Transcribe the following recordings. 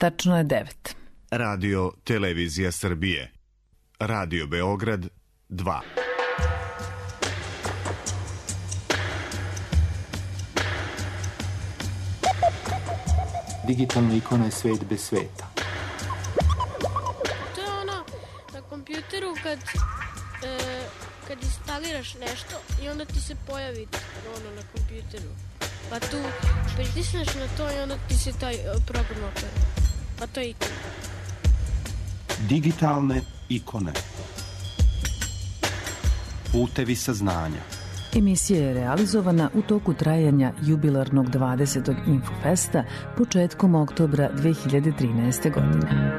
Tačno je 9. Radio Televizija Srbije. Radio Beograd 2. Digitalna ikona je svet bez sveta. To je ono na kompjuteru kad instaliraš nešto i onda ti se pojavi ono na kompjuteru. Pa tu pritisneš na to i onda ti se taj program otvara. Pa to je ikona. Digitalne ikone. Putevi saznanja. Emisija je realizovana u toku trajanja jubilarnog 20. Infofesta početkom oktobra 2013. godine.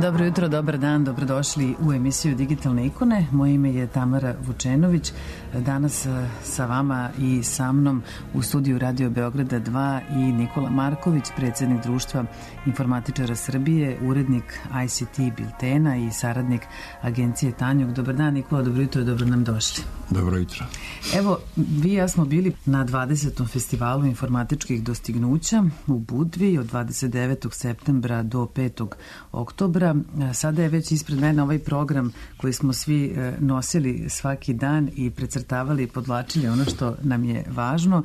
Dobro jutro, dobar dan, dobrodošli u emisiju Digitalne ikone. Moje ime je Tamara Vučenović. Danas sa vama i sa mnom u studiju Radio Beograda 2 i Nikola Marković, predsjednik Društva informatičara Srbije, urednik ICT Biltena i saradnik agencije Tanjug. Dobar dan, Nikola, dobro jutro, dobro nam došli. Dobro jutro. Evo, vi i ja smo bili na 20. festivalu informatičkih dostignuća u Budvi od 29. septembra do 5. oktobra. Sada je već ispred mene ovaj program koji smo svi nosili svaki dan i precrtavali i podlačili ono što nam je važno.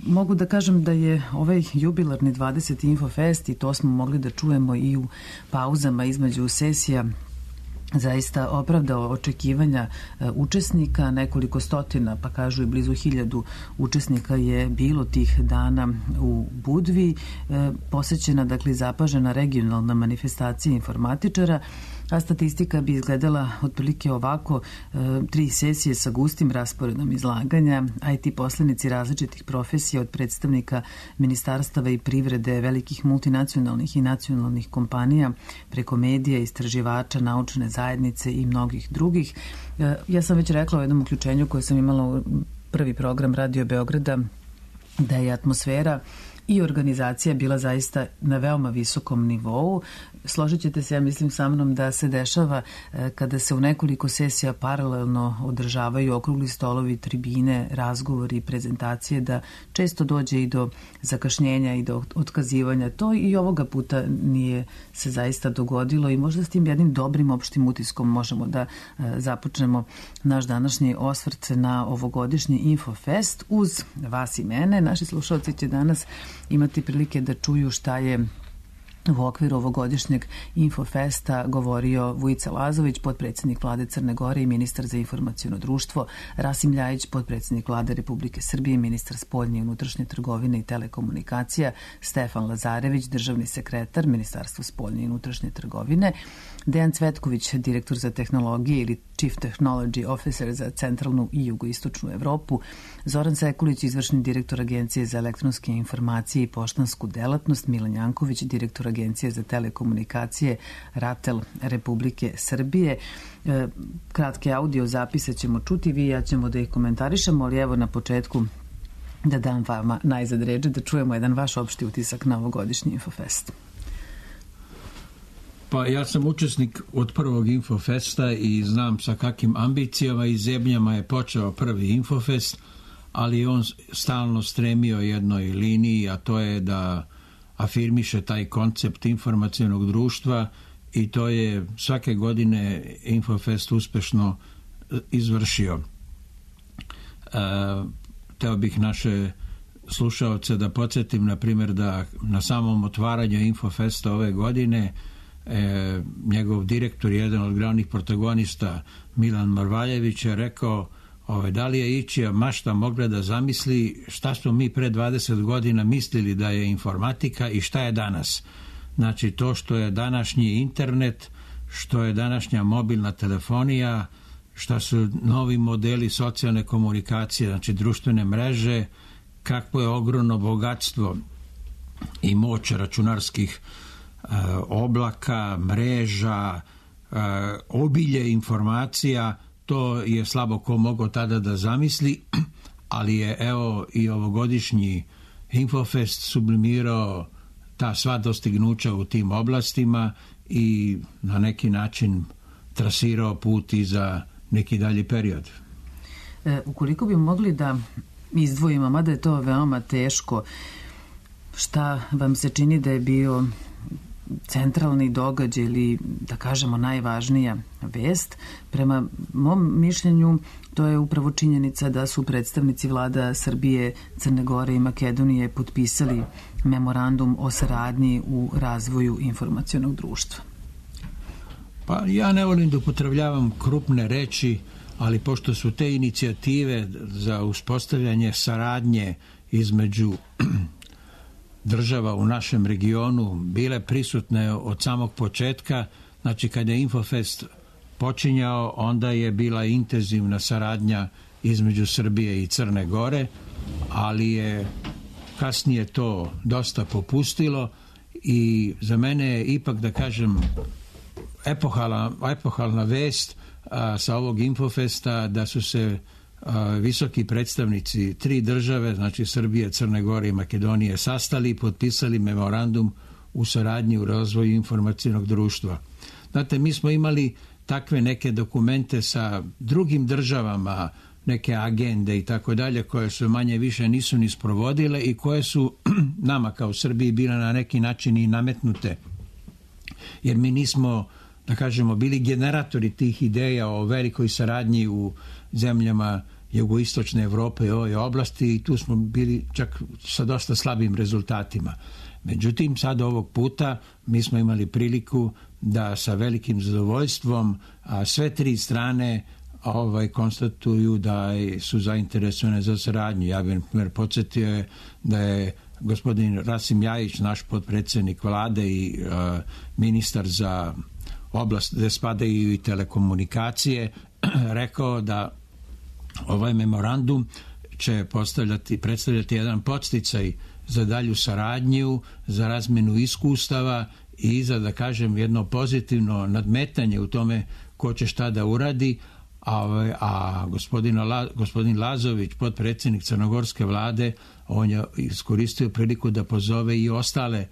Mogu da kažem da je ovaj jubilarni 20. Infofest, i to smo mogli da čujemo i u pauzama između sesija, zaista opravdao očekivanja učesnika. Nekoliko stotina, pa kažu i blizu 1000 učesnika je bilo tih dana u Budvi. Posećena, dakle, zapažena regionalna manifestacija informatičara, a statistika bi izgledala otprilike ovako: 3 sesije sa gustim rasporedom izlaganja, IT poslenici različitih profesija, od predstavnika ministarstava i privrede, velikih multinacionalnih i nacionalnih kompanija, preko medija, istraživača, naučne zajednice i mnogih drugih. Ja sam već rekla u jednom uključenju koje sam imala u prvi program Radio Beograda da je atmosfera i organizacija bila zaista na veoma visokom nivou. Složit ćete se, ja mislim, sa mnom da se dešava kada se u nekoliko sesija paralelno održavaju okrugli stolovi, tribine, razgovori, prezentacije, da često dođe i do zakašnjenja i do otkazivanja. To i ovoga puta nije se zaista dogodilo i možda s tim jednim dobrim opštim utiskom možemo da započnemo naš današnji osvrt na ovogodišnji Infofest uz vas i mene. Naši slušalci će danas imati prilike da čuju šta je u okviru ovogodišnjeg Infofesta govorio Vujica Lazović, potpredsjednik Vlade Crne Gore i ministar za informaciono društvo, Rasim Ljajić, potpredsjednik Vlade Republike Srbije, ministar spoljne i unutrašnje trgovine i telekomunikacija, Stefan Lazarević, državni sekretar Ministarstva spoljne i unutrašnje trgovine, Dejan Cvetković, direktor za tehnologije ili Chief Technology Officer za centralnu i jugoistočnu Evropu, Zoran Sekulić, izvršni direktor Agencije za elektronske informacije i poštansku delatnost, Milan Janković, direktor Agencije za telekomunikacije RATEL Republike Srbije. Kratke audio zapise ćemo čuti, vi i ja ćemo da ih komentarišemo, ali evo na početku da dam vama najzad reč, da čujemo jedan vaš opšti utisak na ovogodišnji Infofest. Pa ja sam učesnik od prvog Infofesta i znam sa kakvim ambicijama i zebnjama je počeo prvi Infofest, ali on stalno stremio jednoj liniji, a to je da afirmiše taj koncept informacionog društva, i to je svake godine Infofest uspešno izvršio. Teo bih naše slušaoce da podsjetim, na primjer, da na samom otvaranju Infofesta ove godine njegov direktor, jedan od glavnih protagonista, Milan Marvaljević, je rekao da li je ičija mašta mogla da zamisli šta smo mi pre 20 godina mislili da je informatika i šta je danas. Znači to što je današnji internet, što je današnja mobilna telefonija, šta su novi modeli socijalne komunikacije, znači društvene mreže, kakvo je ogromno bogatstvo i moć računarskih oblaka, mreža, obilje informacija, to je slabo ko mogao tada da zamisli, ali je evo i ovogodišnji Infofest sublimirao ta sva dostignuća u tim oblastima i na neki način trasirao put i za neki dalji period. Ukoliko bi mogli da izdvojimo, mada je to veoma teško, šta vam se čini da je bio centralni događaj ili da kažemo najvažnija vest? Prema mom mišljenju to je upravo činjenica da su predstavnici vlada Srbije, Crne Gore i Makedonije potpisali memorandum o saradnji u razvoju informacionog društva. Pa ja ne volim da upotrebljavam krupne reči, ali pošto su te inicijative za uspostavljanje saradnje između država u našem regionu bile prisutne od samog početka, znači kada je Infofest počinjao, onda je bila intenzivna saradnja između Srbije i Crne Gore, ali je kasnije to dosta popustilo i za mene je ipak, da kažem, epohalna vest sa ovog Infofesta da su se visoki predstavnici 3 države, znači Srbije, Crne Gore i Makedonije, sastali i potpisali memorandum u saradnji u razvoju informacionog društva. Znate, mi smo imali takve neke dokumente sa drugim državama, neke agende i tako dalje, koje su manje više nisu ni sprovodile i koje su nama kao Srbiji bile na neki način i nametnute. Jer mi nismo, da kažemo, bili generatori tih ideja o velikoj saradnji u zemljama jugoistočne Evrope i ove oblasti i tu smo bili čak sa dosta slabim rezultatima. Međutim, sad ovog puta mi smo imali priliku da sa velikim zadovoljstvom sve 3 strane konstatuju da su zainteresovane za saradnju. Ja bih podsjetio da je gospodin Rasim Ljajić, naš potpredsjednik vlade i ministar za oblast gde spadaju i telekomunikacije, rekao da ovaj memorandum će predstavljati jedan podsticaj za dalju saradnju, za razmenu iskustava i za, da kažem, jedno pozitivno nadmetanje u tome ko će šta da uradi, a gospodin Lazović, potpredsjednik crnogorske vlade, on je iskoristio priliku da pozove i ostale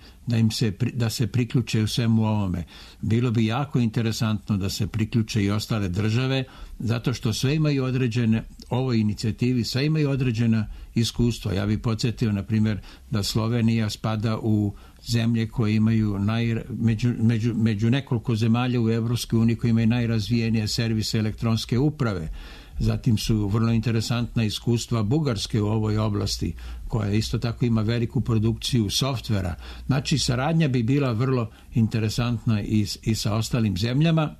da se priključe u svemu ovome. Bilo bi jako interesantno da se priključe i ostale države, zato što sve imaju određene, ovoj inicijativi, sve imaju određena iskustva. Ja bih podsjetio, na primjer, da Slovenija spada u zemlje koje imaju među nekoliko zemalja u Evropskoj uniji koji imaju najrazvijenije servise elektronske uprave. Zatim su vrlo interesantna iskustva Bugarske u ovoj oblasti, koja isto tako ima veliku produkciju softvera. Znači, saradnja bi bila vrlo interesantna i sa ostalim zemljama,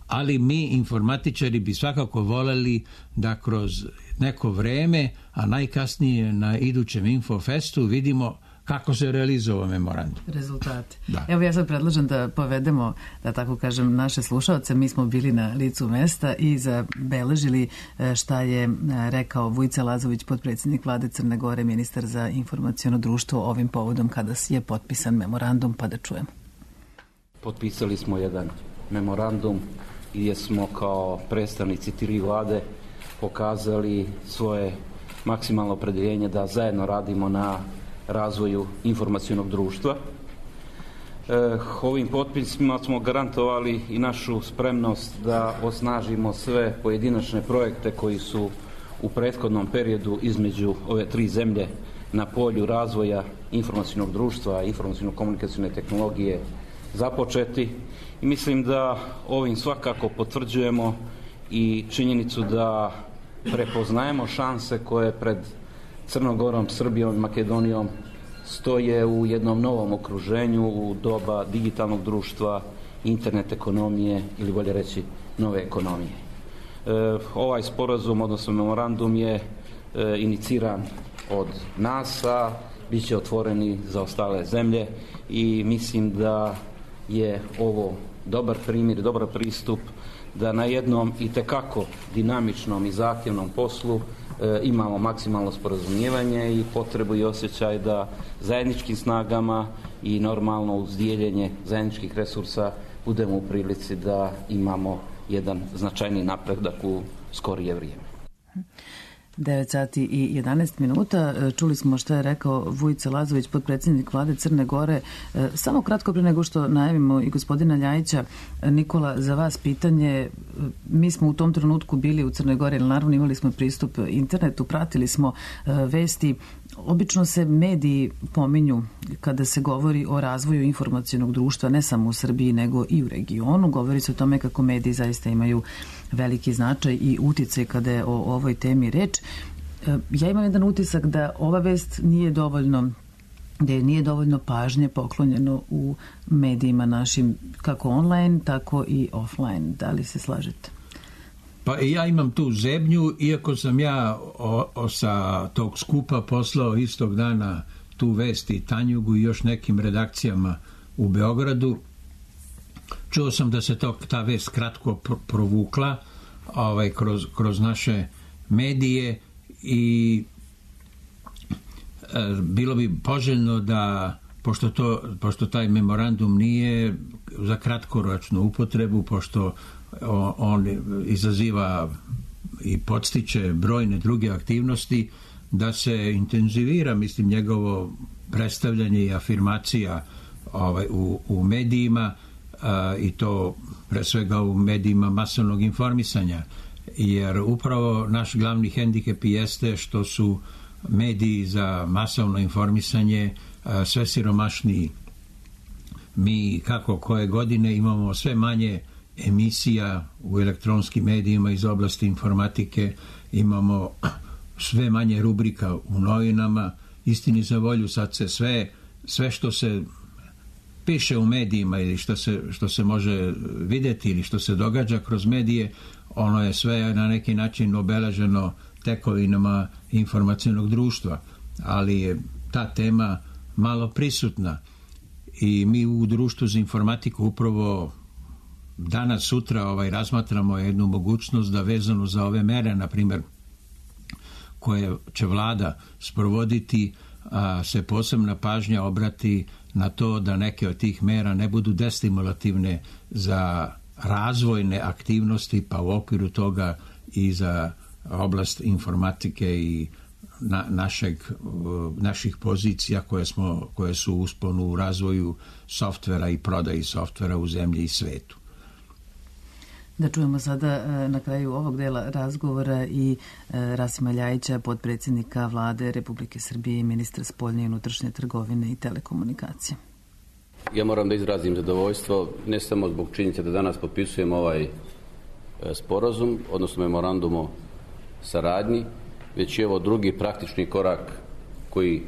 ali mi, informatičari, bi svakako voleli da kroz neko vreme, a najkasnije na idućem Infofestu, vidimo kako se realizuje memorandum. Rezultate. Da. Evo ja sad predlažem da povedemo, da tako kažem, naše slušaoce. Mi smo bili na licu mesta i zabeležili šta je rekao Vujica Lazović, potpredsjednik vlade Crne Gore, ministar za informaciono društvo, ovim povodom kada je potpisan memorandum, pa da čujemo. Potpisali smo jedan memorandum gdje smo kao predstavnici 3 vlade pokazali svoje maksimalno opredjeljenje da zajedno radimo na razvoju informacionog društva. Ovim potpisima smo garantovali i našu spremnost da osnažimo sve pojedinačne projekte koji su u prethodnom periodu između ove 3 zemlje na polju razvoja informacionog društva, informaciono-komunikacijne tehnologije započeti. I mislim da ovim svakako potvrđujemo i činjenicu da prepoznajemo šanse koje pred Crnom Gorom, Srbijom i Makedonijom stoje u jednom novom okruženju u doba digitalnog društva, internet ekonomije ili bolje reći nove ekonomije. Ovaj sporazum, odnosno memorandum je iniciran od nas, a bit će otvoreni za ostale zemlje i mislim da je ovo dobar primjer, dobar pristup da na jednom itekako dinamičnom i zahtjevnom poslu imamo maksimalno sporazumijevanje i potrebu i osjećaj da zajedničkim snagama i normalno uz dijeljenje zajedničkih resursa budemo u prilici da imamo jedan značajni napredak u skorije vrijeme. 9 sati i 11 minuta. Čuli smo što je rekao Vujica Lazović, potpredsjednik vlade Crne Gore. Samo kratko pre nego što najavimo i gospodina Ljajića, Nikola, za vas pitanje. Mi smo u tom trenutku bili u Crnoj Gori, ali naravno imali smo pristup internetu, pratili smo vesti. Obično se mediji pominju kada se govori o razvoju informacionog društva, ne samo u Srbiji, nego i u regionu. Govori se o tome kako mediji zaista imaju veliki značaj i uticaj kada je o ovoj temi reč. Ja imam jedan utisak da ova vest nije dovoljno pažnje poklonjeno u medijima našim, kako online, tako i offline. Da li se slažete? Pa ja imam tu zebnju, iako sam ja sa tog skupa poslao istog dana tu vest i Tanjugu i još nekim redakcijama u Beogradu. Čuo sam da se ta vest kratko provukla kroz naše medije i bilo bi poželjno da, pošto taj memorandum nije za kratkoročnu upotrebu, pošto on izaziva i podstiče brojne druge aktivnosti, da se intenzivira, mislim, njegovo predstavljanje i afirmacija u medijima, i to pre svega u medijima masovnog informisanja, jer upravo naš glavni hendikep jeste što su mediji za masovno informisanje sve siromašniji. Mi kako koje godine imamo sve manje emisija u elektronskim medijima iz oblasti informatike, imamo sve manje rubrika u novinama. Istini za volju, sad se sve što se piše u medijima ili što se može vidjeti ili što se događa kroz medije, ono je sve na neki način obeleženo tekovinama informacionog društva, ali je ta tema malo prisutna i mi u društvu za informatiku upravo danas, sutra razmatramo jednu mogućnost da vezano za ove mere, na primjer, koje će vlada sprovoditi, se posebna pažnja obrati na to da neke od tih mera ne budu destimulativne za razvojne aktivnosti, pa u okviru toga i za oblast informatike i naših pozicija koje su u usponu u razvoju softvera i prodaji softvera u zemlji i svetu. Da čujemo sada na kraju ovog dela razgovora i Rasima Ljajića, potpredsjednika vlade Republike Srbije i ministra spoljne i unutrašnje trgovine i telekomunikacije. Ja moram da izrazim zadovoljstvo ne samo zbog činjenice da danas potpisujemo ovaj sporazum, odnosno memorandum o saradnji, već je ovo drugi praktični korak koji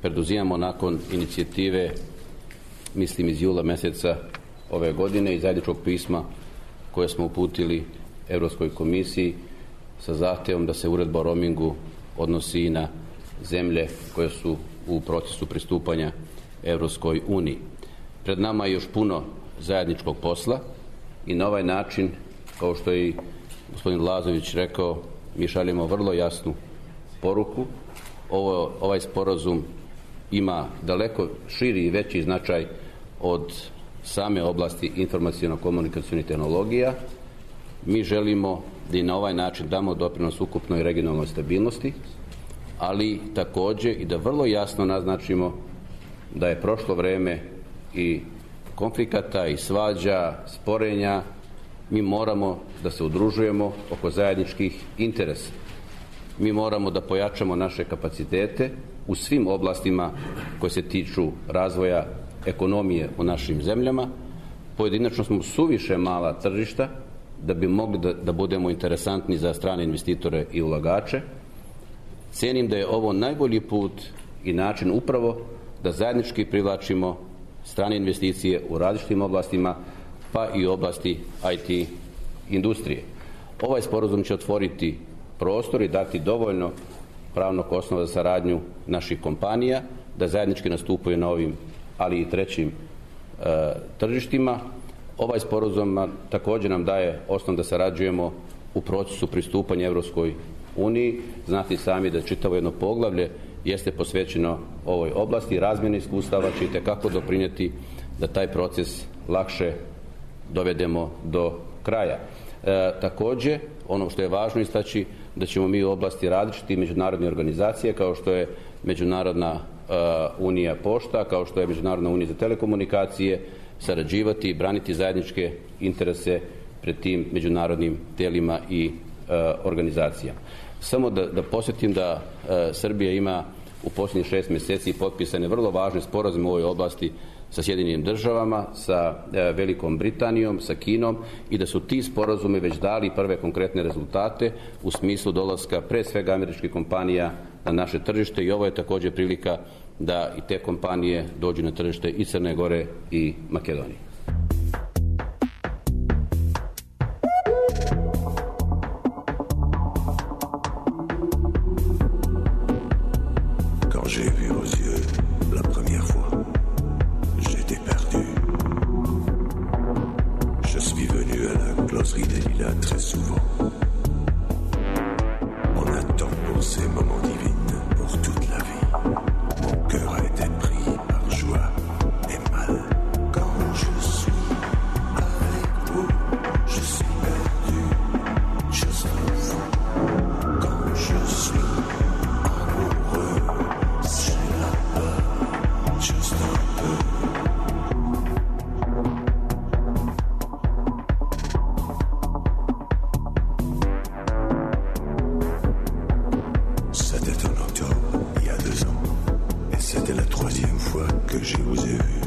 preduzimamo nakon inicijative, mislim iz jula mjeseca ove godine, i zajedničkog pisma koje smo uputili Europskoj komisiji sa zahtjevom da se uredba o roamingu odnosi i na zemlje koje su u procesu pristupanja Europskoj uniji. Pred nama je još puno zajedničkog posla i na ovaj način, kao što je i gospodin Lazović rekao, mi šaljemo vrlo jasnu poruku. Ovaj sporazum ima daleko širi i veći značaj od same oblasti informaciono-komunikacionih tehnologija. Mi želimo da i na ovaj način damo doprinos ukupnoj regionalnoj stabilnosti, ali također i da vrlo jasno naznačimo da je prošlo vreme i konflikata i svađa, sporenja. Mi moramo da se udružujemo oko zajedničkih interesa. Mi moramo da pojačamo naše kapacitete u svim oblastima koje se tiču razvoja ekonomije u našim zemljama. Pojedinačno smo suviše mala tržišta da bi mogli da budemo interesantni za strane investitore i ulagače. Cijenim da je ovo najbolji put i način upravo da zajednički privlačimo strane investicije u različitim oblastima, pa i u oblasti IT industrije. Ovaj sporazum će otvoriti prostor i dati dovoljno pravnog osnova za saradnju naših kompanija, da zajednički nastupaju na ovim, ali i trećim tržištima. Ovaj sporazum također nam daje osnov da sarađujemo u procesu pristupanja Europskoj uniji. Znate sami da čitavo jedno poglavlje jeste posvećeno ovoj oblasti. Razmjena iskustava će itekako doprinijeti da taj proces lakše dovedemo do kraja. Također, ono što je važno istaći, da ćemo mi u oblasti različitih međunarodnih organizacija, kao što je Međunarodna unija pošta, kao što je Međunarodna unija za telekomunikacije, sarađivati i braniti zajedničke interese pred tim međunarodnim tijelima i organizacijama. Samo da podsjetim da Srbija ima u posljednjih 6 mjeseci potpisane vrlo važne sporazume u ovoj oblasti sa Sjedinjenim državama, sa Velikom Britanijom, sa Kinom i da su ti sporazumi već dali prve konkretne rezultate u smislu dolaska pre svega američkih kompanija na naše tržište i ovo je također prilika da i te kompanije dođu na tržište i Crne Gore i Makedonije. Quand j'ai vu aux yeux la première fois, j'étais perdu. Je suis venu à la closerie des Lilas très souvent. On attend pour ces moments divins pour toute la vie. Mon cœur a été pris par joie et mal. Quand je suis avec vous, je suis perdu, je suis fou. Quand je suis amoureux, j'ai la peur, juste un peu. C'était en octobre, il y a 2 ans, et c'était la 3e fois que je vous ai vu.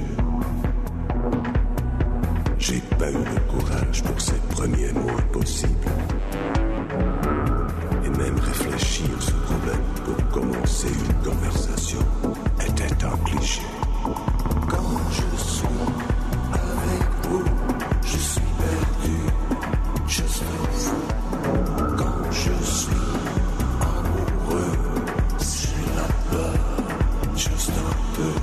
J'ai pas eu le courage pour ces premiers mots impossibles, et même réfléchir ce problème pour commencer une conversation était un cliché. Quand je suis avec vous, je suis perdu, je suis fou. Quand je suis amoureux, j'ai la peur, juste un peu.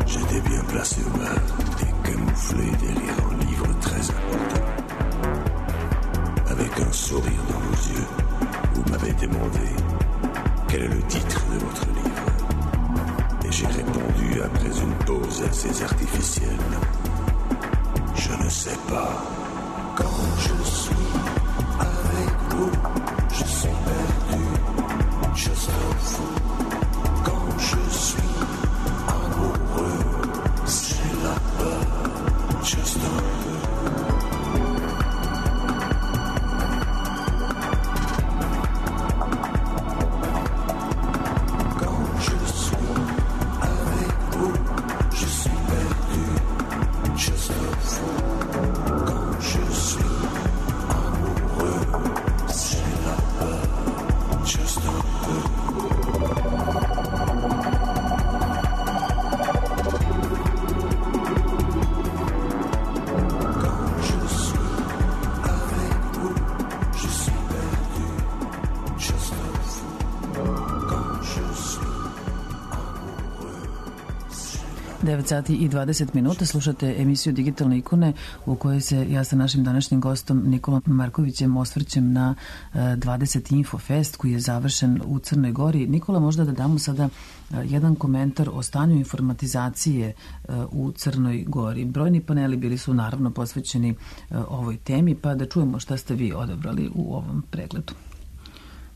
J'étais bien placé au bar et camouflé derrière un livre très important. Avec un sourire dans vos yeux, vous m'avez demandé quel est le titre de votre livre. Et j'ai répondu après une pause assez artificielle: je ne sais pas. Quand je suis avec vous, je suis perdu, je suis fou. Quand je suis amoureux, j'ai la peur, juste un peu. Quand je suis avec vous, je suis perdu, je suis fou. Quand je suis amoureux, j'ai la peur, juste un peu. Sati i 20 minuta slušate emisiju Digitalne ikone u kojoj se ja sa našim današnjim gostom Nikolom Markovićem osvrćem na 20. Infofest koji je završen u Crnoj Gori. Nikola, možda da damo sada jedan komentar o stanju informatizacije u Crnoj Gori. Brojni paneli bili su naravno posvećeni ovoj temi, pa da čujemo šta ste vi odabrali u ovom pregledu.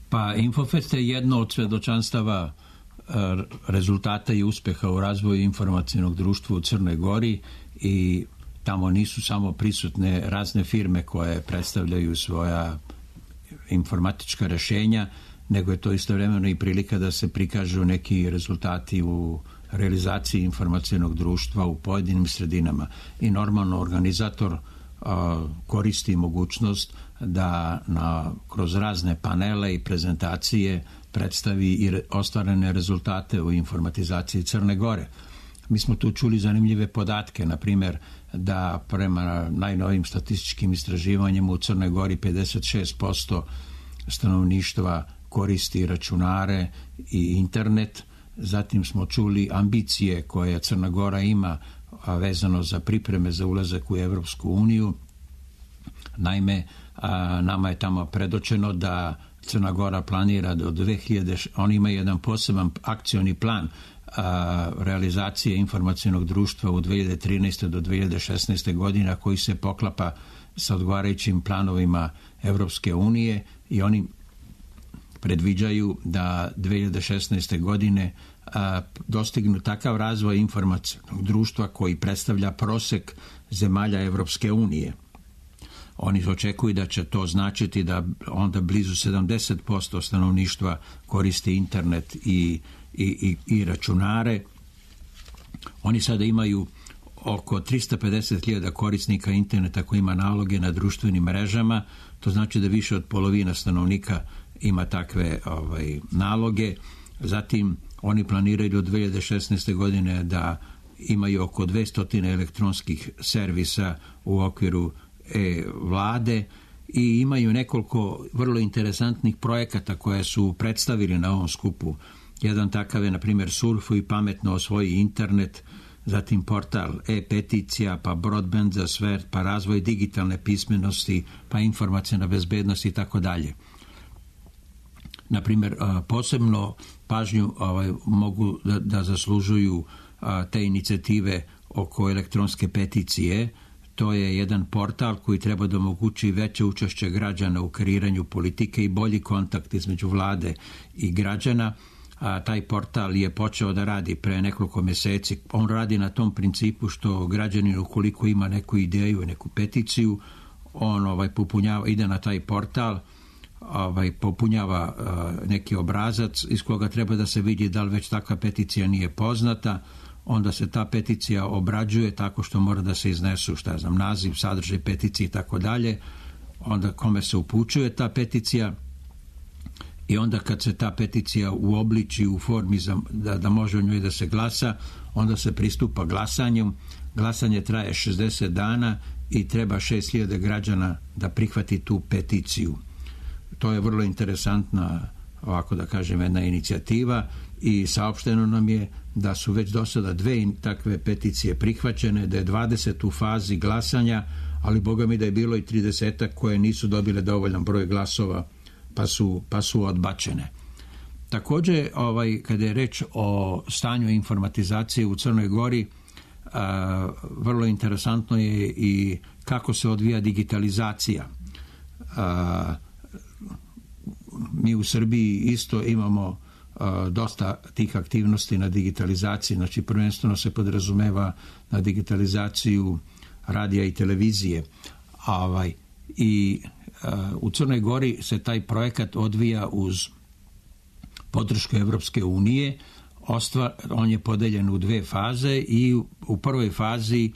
Pa Infofest je jedno od svedočanstava rezultata i uspeha u razvoju informacionog društva u Crnoj Gori i tamo nisu samo prisutne razne firme koje predstavljaju svoja informatička rešenja, nego je to istovremeno i prilika da se prikažu neki rezultati u realizaciji informacionog društva u pojedinim sredinama. I normalno organizator koristi mogućnost da kroz razne panele i prezentacije predstavi i ostvarene rezultate u informatizaciji Crne Gore. Mi smo tu čuli zanimljive podatke, na primjer da prema najnovijim statističkim istraživanjima u Crnoj Gori 56% stanovništva koristi računare i internet. Zatim smo čuli ambicije koje Crna Gora ima vezano za pripreme za ulazak u Evropsku uniju. Naime, nama je tamo predočeno da Crna Gora planira do 2000, on ima jedan poseban akcioni plan realizacije informacionog društva u 2013. do 2016. godina koji se poklapa sa odgovarajućim planovima Evropske unije i oni predviđaju da 2016. godine dostignu takav razvoj informacionog društva koji predstavlja prosek zemalja Evropske unije. Oni očekuju da će to značiti da onda blizu 70% stanovništva koristi internet i računare. Oni sada imaju oko 350.000 korisnika interneta koji ima naloge na društvenim mrežama. To znači da više od polovina stanovnika ima takve naloge. Zatim oni planiraju do 2016. godine da imaju oko 200 elektronskih servisa u okviru vlade i imaju nekoliko vrlo interesantnih projekata koje su predstavili na ovom skupu. Jedan takav je, na primjer, Surfuj i pametno osvoji internet, zatim portal e-peticija, pa broadband za sve, pa razvoj digitalne pismenosti, pa informacijna bezbednost i tako dalje. Na primjer, posebno pažnju mogu da zaslužuju te inicijative oko elektronske peticije. To je jedan portal koji treba da omogući veće učešće građana u kreiranju politike i bolji kontakt između vlade i građana. Taj portal je počeo da radi pre nekoliko mjeseci. On radi na tom principu što građanin ukoliko ima neku ideju, neku peticiju, on popunjava, ide na taj portal, popunjava neki obrazac iz koga treba da se vidi da li već takva peticija nije poznata. Onda se ta peticija obrađuje tako što mora da se iznesu, naziv, sadržaj peticije i tako dalje, onda kome se upućuje ta peticija i onda kad se ta peticija uobliči u formi da može u njoj da se glasa, onda se pristupa glasanju. Glasanje traje 60 dana i treba 6.000 građana da prihvati tu peticiju. To je vrlo interesantna, ovako da kažem, jedna inicijativa i saopšteno nam je da su već do sada 2 takve peticije prihvaćene, da je 20 u fazi glasanja, ali boga mi da je bilo i 30 koje nisu dobile dovoljan broj glasova pa su odbačene. Također, kada je reč o stanju informatizacije u Crnoj Gori, vrlo interesantno je i kako se odvija digitalizacija. Mi u Srbiji isto imamo dosta tih aktivnosti na digitalizaciji, znači prvenstveno se podrazumeva na digitalizaciju radija i televizije. I u Crnoj Gori se taj projekat odvija uz podršku Evropske unije. On je podeljen u 2 faze i u prvoj fazi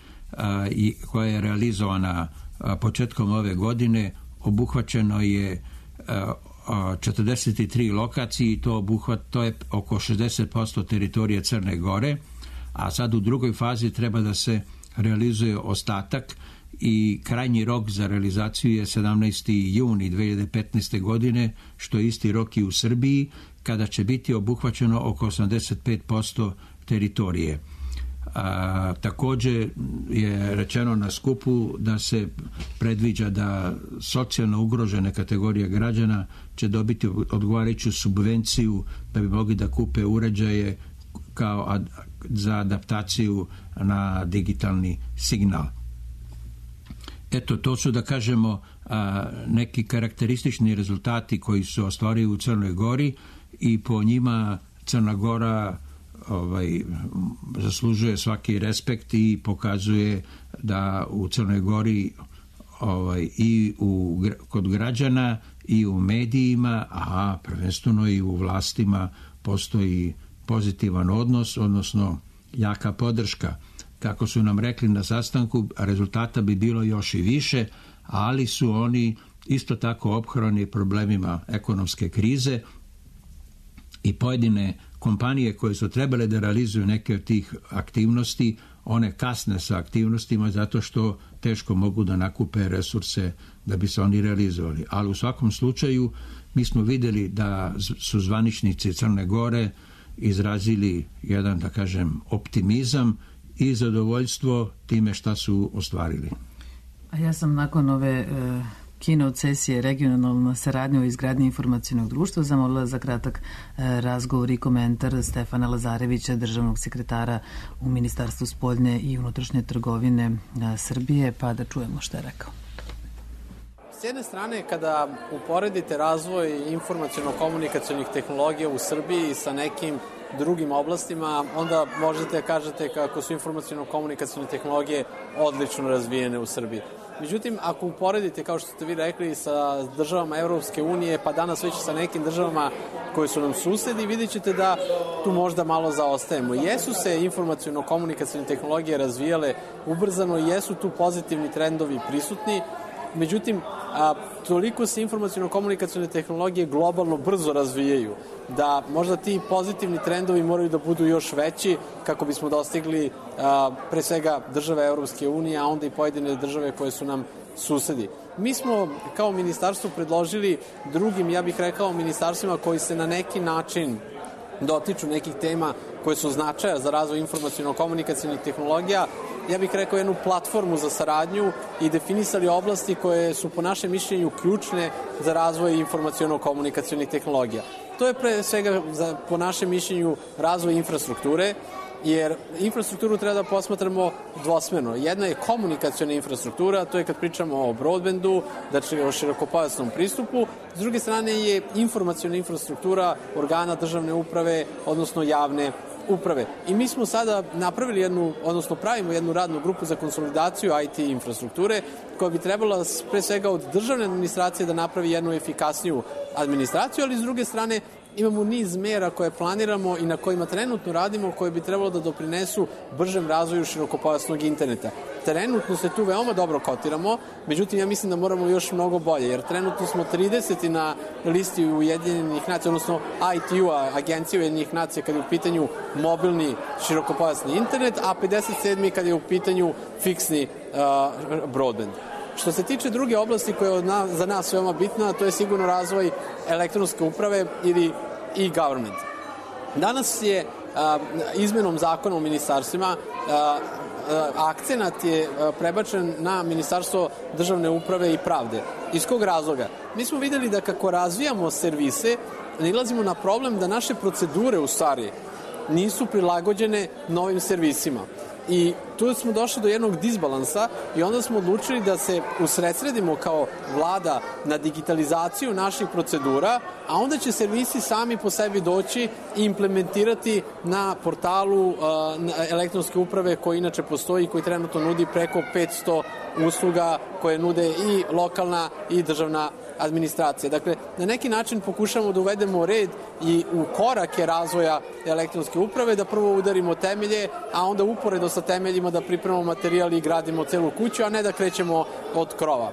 koja je realizovana početkom ove godine obuhvaćeno je 43 lokacije i to je oko 60% teritorije Crne Gore, a sad u drugoj fazi treba da se realizuje ostatak i krajnji rok za realizaciju je 17. juni 2015. godine, što je isti rok i u Srbiji, kada će biti obuhvaćeno oko 85% teritorije. Također je rečeno na skupu da se predviđa da socijalno ugrožene kategorije građana će dobiti odgovarajuću subvenciju da bi mogli da kupe uređaje kao za adaptaciju na digitalni signal. Eto, to su, da kažemo, neki karakteristični rezultati koji su ostvarili u Crnoj Gori i po njima Crna Gora zaslužuje svaki respekt i pokazuje da u Crnoj Gori i kod građana i u medijima, a prvenstveno i u vlastima postoji pozitivan odnos, odnosno jaka podrška. Kako su nam rekli na sastanku, rezultata bi bilo još i više, ali su oni isto tako ophrani problemima ekonomske krize i pojedine kompanije koje su trebale da realizuju neke od tih aktivnosti, one kasne sa aktivnostima zato što teško mogu da nakupe resurse da bi se oni realizovali. Ali u svakom slučaju mi smo vidjeli da su zvaničnici Crne Gore izrazili jedan, da kažem, optimizam i zadovoljstvo time šta su ostvarili. A ja sam nakon ove keynote sesije regionalna saradnja o izgradnji informacionog društva zamolila za kratak razgovor i komentar Stefana Lazarevića, državnog sekretara u Ministarstvu spoljne i unutrašnje trgovine Srbije, pa da čujemo šta je rekao. S jedne strane, kada uporedite razvoj informaciono-komunikacionih tehnologija u Srbiji sa nekim drugim oblastima, onda možete kažete kako su informaciono-komunikacione tehnologije odlično razvijene u Srbiji. Međutim, ako uporedite, kao što ste vi rekli, sa državama Evropske unije, pa danas već sa nekim državama koje su nam susedi, vidjet ćete da tu možda malo zaostajemo. Jesu se informaciono-komunikacione tehnologije razvijale ubrzano, jesu tu pozitivni trendovi prisutni, međutim, toliko se informaciono-komunikacione tehnologije globalno brzo razvijaju da možda ti pozitivni trendovi moraju da budu još veći kako bismo dostigli pre svega države Evropske unije, a onda i pojedine države koje su nam susedi. Mi smo kao ministarstvo predložili drugim, ja bih rekao, ministarstvima koji se na neki način dotiču nekih tema koje su značaja za razvoj informaciono-komunikacionih tehnologija, ja bih rekao jednu platformu za saradnju i definisali oblasti koje su po našem mišljenju ključne za razvoj informaciono-komunikacionih tehnologija. To je pre svega po našem mišljenju razvoj infrastrukture, jer infrastrukturu treba da posmatramo dvosmerno. Jedna je komunikaciona infrastruktura, to je kad pričamo o broadbandu, znači o širokopojasnom pristupu. S druge strane je informaciona infrastruktura organa državne uprave, odnosno javne uprave. I mi smo sada napravili pravimo jednu radnu grupu za konsolidaciju IT infrastrukture koja bi trebala pre svega od državne administracije da napravi jednu efikasniju administraciju, ali s druge strane imamo niz mera koje planiramo i na kojima trenutno radimo, koje bi trebalo da doprinesu bržem razvoju širokopojasnog interneta. Trenutno se tu veoma dobro kotiramo, međutim ja mislim da moramo još mnogo bolje, jer trenutno smo 30. na listi Ujedinjenih nacija, odnosno ITU-a, Agencije Ujedinjenih nacija, kada je u pitanju mobilni širokopojasni internet, a 57. kada je u pitanju fiksni broadband. Što se tiče druge oblasti koja je za nas veoma bitna, to je sigurno razvoj elektronske uprave ili e-government. Danas je izmenom zakona o ministarstvima akcenat je prebačen na Ministarstvo državne uprave i pravde. Iz kog razloga? Mi smo videli da kako razvijamo servise, nalazimo na problem da naše procedure u stvari nisu prilagođene novim servisima. I tu smo došli do jednog disbalansa i onda smo odlučili da se usredsredimo kao vlada na digitalizaciju naših procedura, a onda će servisi sami po sebi doći i implementirati na portalu elektronske uprave koji inače postoji i koji trenutno nudi preko 500 usluga koje nude i lokalna i državna administracija. Dakle, na neki način pokušamo da uvedemo red i u korake razvoja elektronske uprave, da prvo udarimo temelje, a onda uporedo sa temeljima da pripremamo materijal i gradimo celu kuću, a ne da krećemo od krova.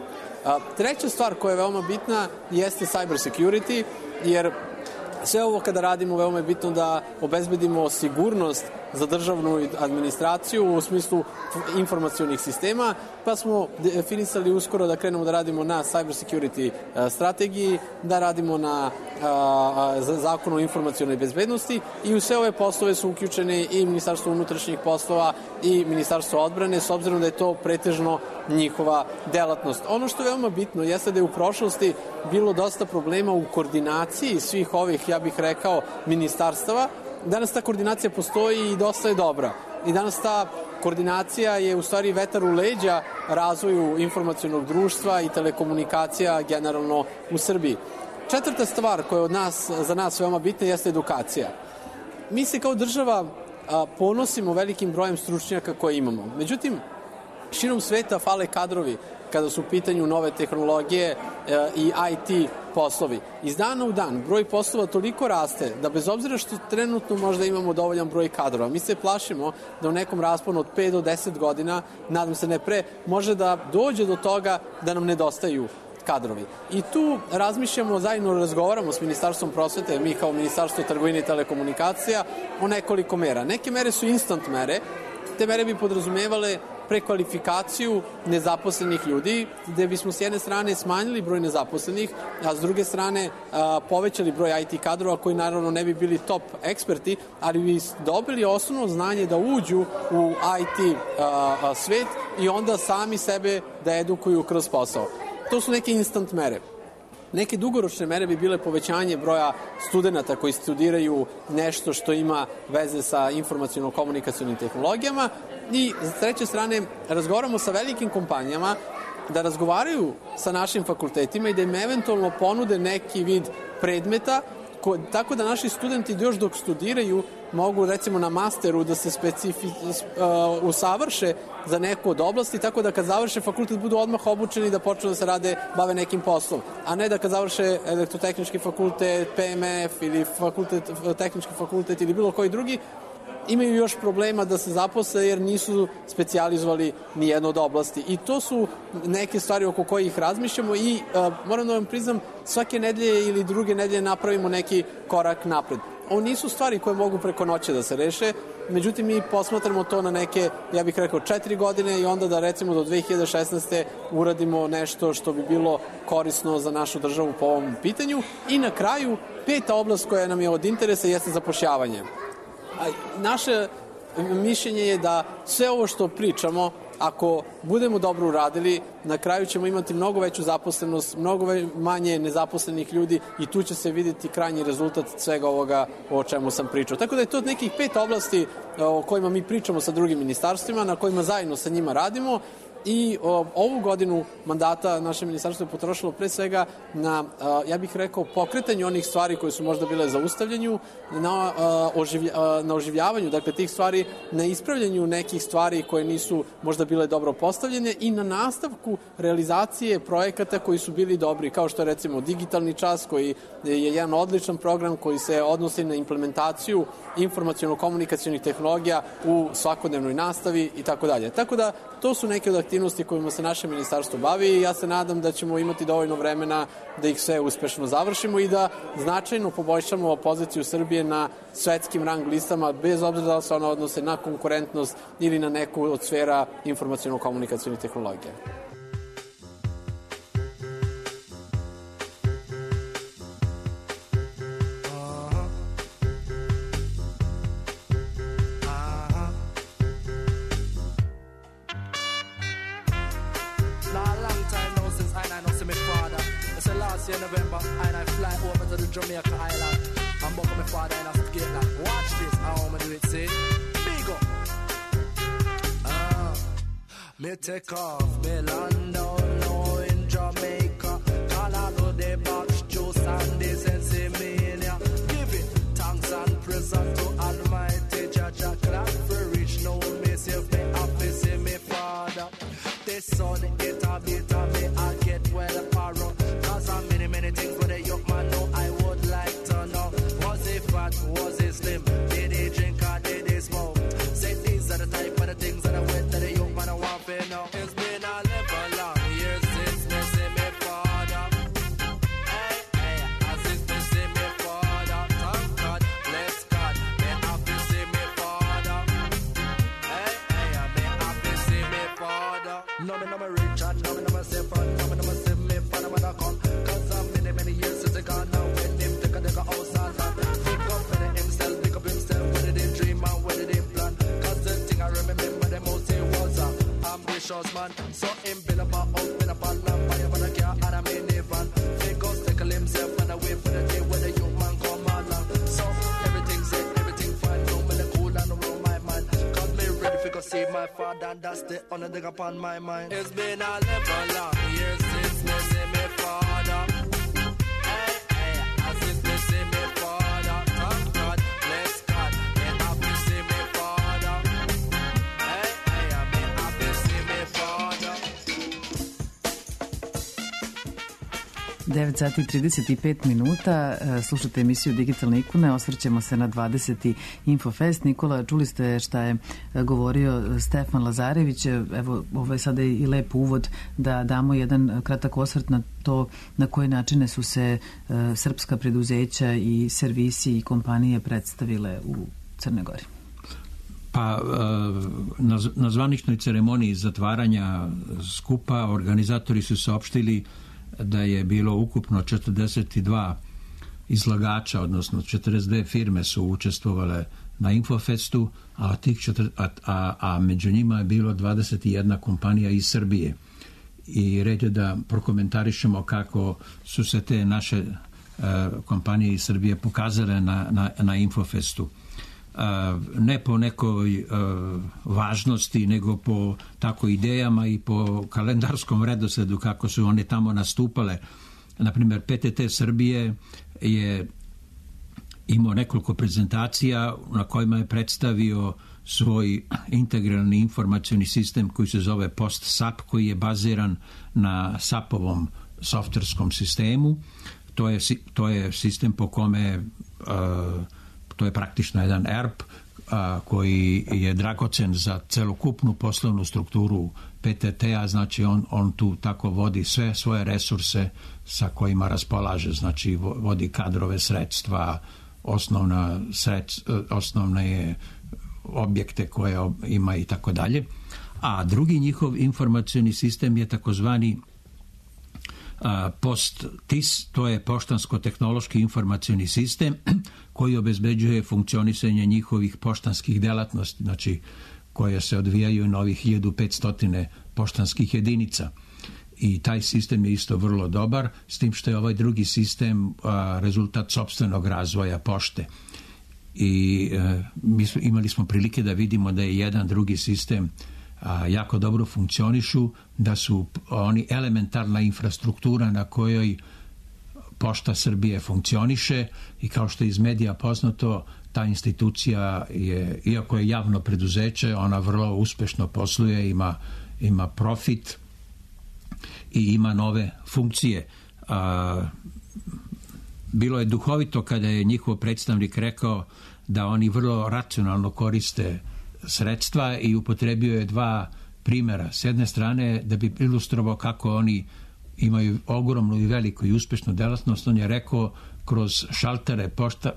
Treća stvar koja je veoma bitna jeste cyber security, jer sve ovo kada radimo veoma je bitno da obezbedimo sigurnost za državnu administraciju u smislu informacionih sistema, pa smo definisali uskoro da krenemo da radimo na cyber security strategiji, da radimo na zakonu o informacionoj bezbednosti i u sve ove poslove su uključene i Ministarstvo unutrašnjih poslova i Ministarstvo odbrane, s obzirom da je to pretežno njihova delatnost. Ono što je veoma bitno jeste da je u prošlosti bilo dosta problema u koordinaciji svih ovih, ja bih rekao, ministarstava. Danas ta koordinacija postoji i dosta je dobra. I danas ta koordinacija je u stvari vetar u leđa razvoju informacionog društva i telekomunikacija generalno u Srbiji. Četvrta stvar koja je za nas veoma bitna jeste edukacija. mi se kao država ponosimo velikim brojem stručnjaka koje imamo. Međutim, širom sveta fale kadrovi kada su u pitanju nove tehnologije i IT poslovi. Iz dana u dan broj poslova toliko raste da bez obzira što trenutno možda imamo dovoljan broj kadrova, mi se plašimo da u nekom rasponu od 5 do 10 godina, nadam se ne pre, može da dođe do toga da nam nedostaju kadrovi. I tu razmišljamo, zajedno razgovaramo s Ministarstvom prosvete, mi kao Ministarstvo trgovine i telekomunikacija, o nekoliko mera. Neke mere su instant mere, te mere bi podrazumevale prekvalifikaciju nezaposlenih ljudi, gde bismo s jedne strane smanjili broj nezaposlenih, a s druge strane povećali broj IT kadrova koji naravno ne bi bili top eksperti, ali bi dobili osnovno znanje da uđu u IT svet i onda sami sebe da edukuju kroz posao. To su neke instant mere. Neke dugoročne mere bi bile povećanje broja studenta koji studiraju nešto što ima veze sa informaciono-komunikacionim tehnologijama i s treće strane razgovaramo sa velikim kompanijama da razgovaraju sa našim fakultetima i da im eventualno ponude neki vid predmeta tako da naši studenti još dok studiraju mogu recimo na masteru da se usavrše za neku od oblasti, tako da kad završe fakultet budu odmah obučeni da počnu da se bave nekim poslom, a ne da kad završe elektrotehnički fakultet, PMF ili tehnički fakultet ili bilo koji drugi, imaju još problema da se zaposle jer nisu specijalizovali ni jednu od oblasti. I to su neke stvari oko kojih razmišljamo i moram da vam priznam, svake nedelje ili druge nedelje napravimo neki korak napred. Ovo nisu stvari koje mogu preko noće da se reše, međutim mi posmatramo to na neke, ja bih rekao, 4 godine i onda da recimo do 2016. uradimo nešto što bi bilo korisno za našu državu po ovom pitanju. I na kraju, 5. oblast koja nam je od interesa jeste zapošljavanje. Naše mišljenje je da sve ovo što pričamo, ako budemo dobro uradili, na kraju ćemo imati mnogo veću zaposlenost, mnogo manje nezaposlenih ljudi i tu će se vidjeti krajnji rezultat svega ovoga o čemu sam pričao. Tako da je to nekih 5 oblasti o kojima mi pričamo sa drugim ministarstvima, na kojima zajedno sa njima radimo. I ovu godinu mandata naše ministarstvo je potrošilo pre svega na, ja bih rekao, pokretanju onih stvari koje su možda bile zaustavljanju, na oživljavanju, dakle, tih stvari, na ispravljanju nekih stvari koje nisu možda bile dobro postavljene i na nastavku realizacije projekata koji su bili dobri, kao što je recimo Digitalni čas, koji je jedan odličan program koji se odnosi na implementaciju informaciono-komunikacionih tehnologija u svakodnevnoj nastavi i tako dalje. Tako da, to su neke od aktivnosti kojima se naše ministarstvo bavi i ja se nadam da ćemo imati dovoljno vremena da ih sve uspešno završimo i da značajno poboljšamo poziciju Srbije na svetskim rang listama, bez obzira da se ona odnose na konkurentnost ili na neku od sfera informaciono-komunikacionih tehnologija. November and I fly over to the Jamaica Island and buck up my father and I forget that. Watch this, how I'ma do it, see? Big up. Me take off, me land down now in Jamaica. Colorado, the box, juice and the Sensimania. Giving thanks and present to Almighty Jaja. Clap for rich, no me save me happy, see me father. The sun, it a bit of me, I get well apart. Many things for the young man know I would like to know. Was he fat? Was he slim? Did he drink or did he smoke? Say these are the type of the things that I went that the young man I want to know. It's been a long years since me see me father. Hey, hey, since me see me father. Thank God, bless God, me happy see me father. Hey, hey, me happy see me father. No me rich and no me safe and no me see me father when I come. Many years since they gone now when him take a house and land. Pick up himself, what did he dream and what did he plan? Cause the thing I remember the most he was a ambitious man. So him build up a house with a land, buy him a car and a minivan. Figures tackle himself and away for the day when the young man come along. So everything said, everything fine, no me the cool and around my mind. Cause me ready for go see my father and that's the only thing upon my mind. It's been a long years since me see me father. 9 sati i 35 minuta, slušate emisiju Digitalne ikone, osvrćemo se na 20. Infofest. Nikola, čuli ste šta je govorio Stefan Lazarević, evo ovo je sada i lep uvod da damo jedan kratak osvrt na to na koje načine su se srpska preduzeća i servisi i kompanije predstavile u Crnoj Gori. Pa na zvaničnoj ceremoniji zatvaranja skupa organizatori su saopštili da je bilo ukupno 42 izlagača, odnosno 42 firme su učestvovale na Infofestu, a među njima je bilo 21 kompanija iz Srbije. I red je da prokomentarišemo kako su se te naše kompanije iz Srbije pokazale na Infofestu. Ne po nekoj važnosti, nego po tako idejama i po kalendarskom redosledu kako su one tamo nastupale. Naprimjer, PTT Srbije je imao nekoliko prezentacija na kojima je predstavio svoj integralni informacioni sistem koji se zove PostSAP, koji je baziran na SAP-ovom softverskom sistemu. To je sistem po kome to je praktično jedan ERP koji je dragocen za celokupnu poslovnu strukturu PTT-a, znači on tu tako vodi sve svoje resurse sa kojima raspolaže, znači vodi kadrove, sredstva, osnovne objekte koje ima i tako dalje. A drugi njihov informacioni sistem je takozvani PostTIS, to je poštansko-tehnološki informacioni sistem koji obezbeđuje funkcionisanje njihovih poštanskih delatnosti, znači koje se odvijaju na ovih 1500 poštanskih jedinica. I taj sistem je isto vrlo dobar, s tim što je ovaj drugi sistem rezultat sopstvenog razvoja pošte. I imali smo prilike da vidimo da je jedan drugi sistem jako dobro funkcionišu, da su oni elementarna infrastruktura na kojoj Pošta Srbije funkcioniše i kao što je iz medija poznato, ta institucija je, iako je javno preduzeće, ona vrlo uspešno posluje, ima profit i ima nove funkcije. Bilo je duhovito kada je njihov predstavnik rekao da oni vrlo racionalno koriste sredstva i upotrebio je dva primjera. S jedne strane, da bi ilustrovao kako oni imaju ogromnu i veliku i uspešnu delatnost, on je rekao kroz šaltere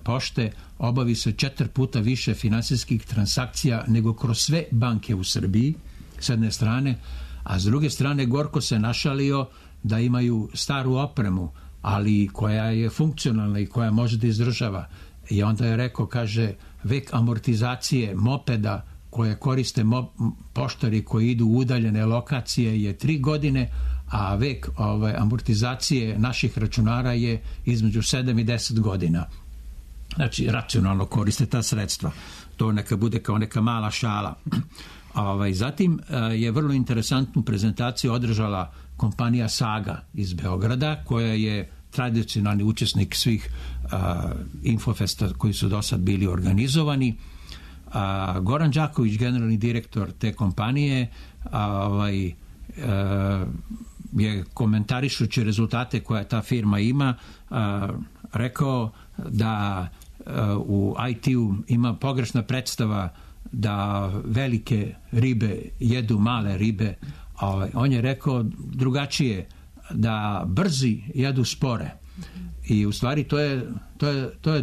pošte obavi se 4 puta više finansijskih transakcija nego kroz sve banke u Srbiji, s jedne strane, a s druge strane gorko se našalio da imaju staru opremu, ali koja je funkcionalna i koja može da izdržava. I onda je rekao, kaže, vek amortizacije mopeda koje koriste poštari koji idu u udaljene lokacije je 3 godine, a vek amortizacije naših računara je između 7 i 10 godina. Znači, racionalno koriste ta sredstva. To neka bude kao neka mala šala. Zatim je vrlo interesantnu prezentaciju održala kompanija Saga iz Beograda, koja je tradicionalni učesnik svih Infofesta koji su do sad bili organizovani. Goran Đaković, generalni direktor te kompanije, je komentarišući rezultate koje ta firma ima rekao da u IT-u ima pogrešna predstava da velike ribe jedu male ribe. On je rekao drugačije, da brzi jedu spore. I u stvari to je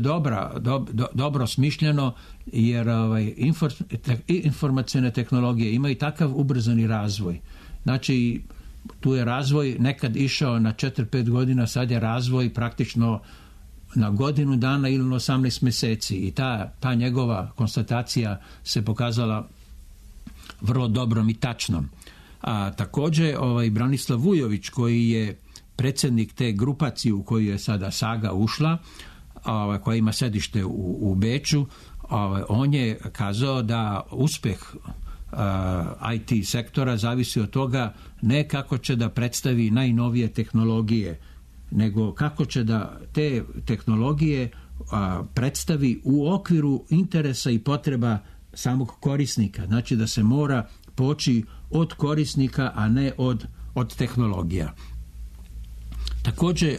dobro smišljeno, jer informacione tehnologije imaju takav ubrzani razvoj. Znači, tu je razvoj nekad išao na 4-5 godina, sad je razvoj praktično na godinu dana ili na 18 meseci. I ta njegova konstatacija se pokazala vrlo dobrom i tačnom. A također Branislav Vujović, koji je predsjednik te grupacije u koju je sada Saga ušla, koja ima sedište u Beču, on je kazao da uspeh IT sektora zavisi od toga ne kako će da predstavi najnovije tehnologije, nego kako će da te tehnologije predstavi u okviru interesa i potreba samog korisnika. Znači da se mora poći od korisnika, a ne od tehnologija. Također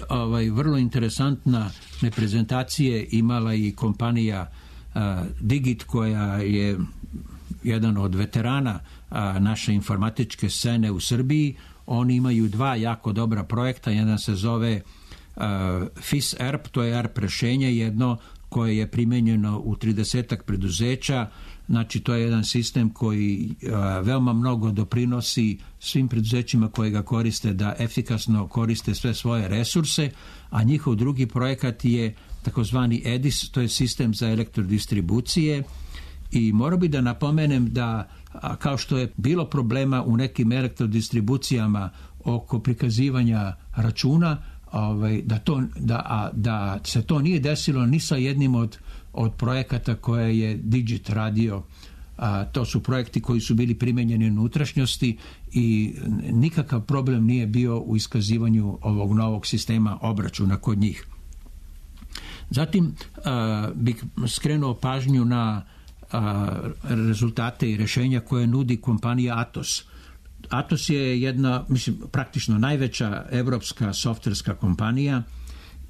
vrlo interesantna prezentacije imala i kompanija Digit, koja je jedan od veterana naše informatičke scene u Srbiji. Oni imaju dva jako dobra projekta, jedan se zove FIS ERP, to je ERP rešenje, jedno koje je primenjeno u 30-ak preduzeća. Znači, to je jedan sistem koji veoma mnogo doprinosi svim preduzećima koje ga koriste da efikasno koriste sve svoje resurse, a njihov drugi projekat je takozvani EDIS, to je sistem za elektrodistribucije. I morao bi da napomenem da, kao što je bilo problema u nekim elektrodistribucijama oko prikazivanja računa, da se to nije desilo ni sa jednim od projekata koje je Digit radio. To su projekti koji su bili primenjeni u unutrašnjosti i nikakav problem nije bio u iskazivanju ovog novog sistema obračuna kod njih. Zatim bih skrenuo pažnju na rezultate i rešenja koje nudi kompanija Atos. Atos je jedna, praktično najveća evropska softverska kompanija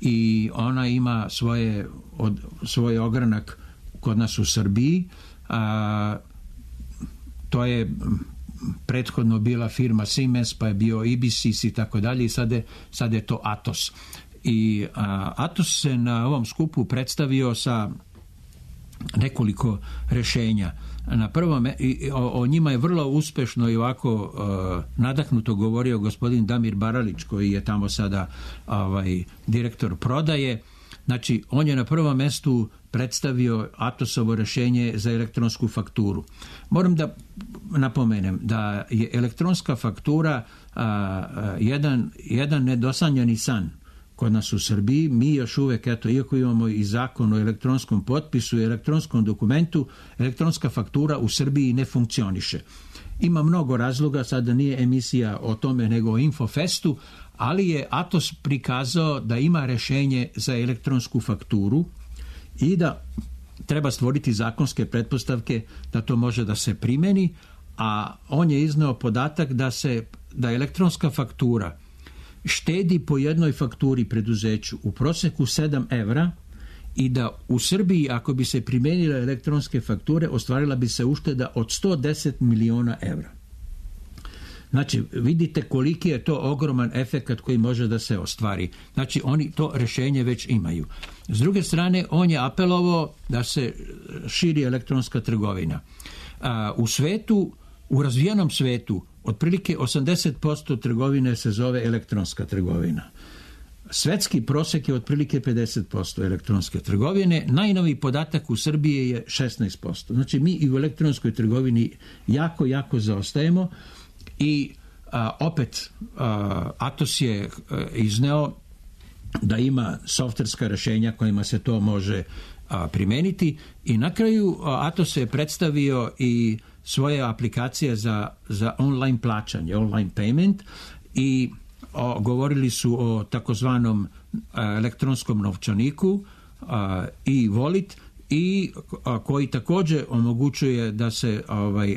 i ona ima svoj ogranak kod nas u Srbiji. To je prethodno bila firma Siemens, pa je bio Ibisys i tako dalje, i sad je to Atos. I Atos se na ovom skupu predstavio sa nekoliko rešenja. Na prvom, o njima je vrlo uspešno i ovako nadahnuto govorio gospodin Damir Baralić, koji je tamo sada direktor prodaje. Znači, on je na prvom mestu predstavio Atosovo rešenje za elektronsku fakturu. Moram da napomenem da je elektronska faktura jedan nedosanjani san kod nas u Srbiji. Mi još uvek, iako imamo i zakon o elektronskom potpisu i elektronskom dokumentu, elektronska faktura u Srbiji ne funkcioniše. Ima mnogo razloga, sada nije emisija o tome nego o Infofestu, ali je Atos prikazao da ima rešenje za elektronsku fakturu i da treba stvoriti zakonske pretpostavke da to može da se primeni, a on je izneo podatak da elektronska faktura štedi po jednoj fakturi preduzeću u proseku 7 evra i da u Srbiji, ako bi se primenile elektronske fakture, ostvarila bi se ušteda od 110 miliona evra. Znači, vidite koliki je to ogroman efekat koji može da se ostvari. Znači, oni to rešenje već imaju. S druge strane, on je apelovao da se širi elektronska trgovina. U razvijenom svetu, otprilike 80% trgovine se zove elektronska trgovina. Svetski prosek je otprilike 50% elektronske trgovine. Najnoviji podatak u Srbiji je 16%. Znači, mi i u elektronskoj trgovini jako, jako zaostajemo i opet Atos je izneo da ima softverska rešenja kojima se to može primeniti i na kraju Atos je predstavio i svoje aplikacije za online plaćanje, online payment, i govorili su o takozvanom elektronskom novčaniku i Wallet, i koji također omogućuje da se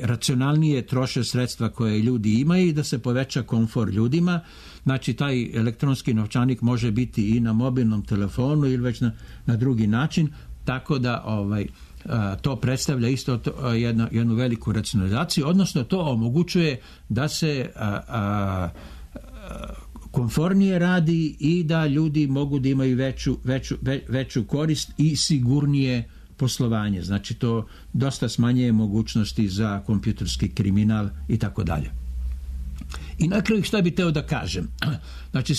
racionalnije troše sredstva koje ljudi imaju i da se poveća komfor ljudima. Znači, taj elektronski novčanik može biti i na mobilnom telefonu ili već na drugi način, tako da to predstavlja isto jednu veliku racionalizaciju, odnosno to omogućuje da se komfornije radi i da ljudi mogu da imaju veću korist i sigurnije poslovanje. Znači, to dosta smanjuje mogućnosti za kompjuterski kriminal i tako dalje. I na kraju šta bih teo da kažem? Znači,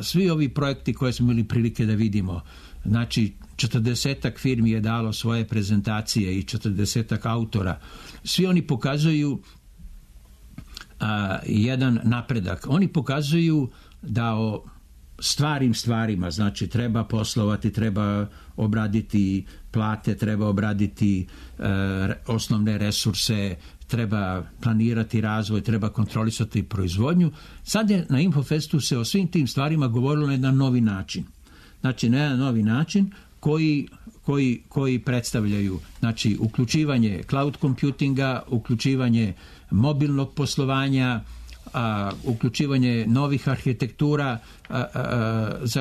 svi ovi projekti koje smo imali prilike da vidimo, znači 40-ak firmi je dalo svoje prezentacije i 40-ak autora, svi oni pokazuju jedan napredak. Oni pokazuju da o stvarnim stvarima, znači treba poslovati, treba obraditi plate, treba obraditi osnovne resurse, treba planirati razvoj, treba kontrolisati proizvodnju. Sad je na Infofestu se o svim tim stvarima govorilo na jedan novi način. Znači, na jedan novi način koji predstavljaju, znači, uključivanje cloud computinga, uključivanje mobilnog poslovanja, uključivanje novih arhitektura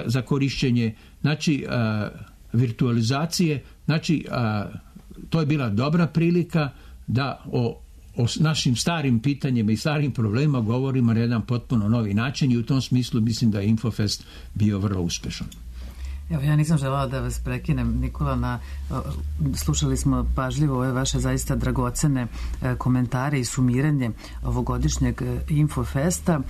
za korišćenje, znači virtualizacije, znači to je bila dobra prilika da o našim starim pitanjima i starim problemima govorimo na jedan potpuno novi način i u tom smislu mislim da je Infofest bio vrlo uspešan. Evo, ja nisam želala da vas prekinem, Nikola, slušali smo pažljivo ove vaše zaista dragocene komentare i sumiranje ovogodišnjeg Infofesta.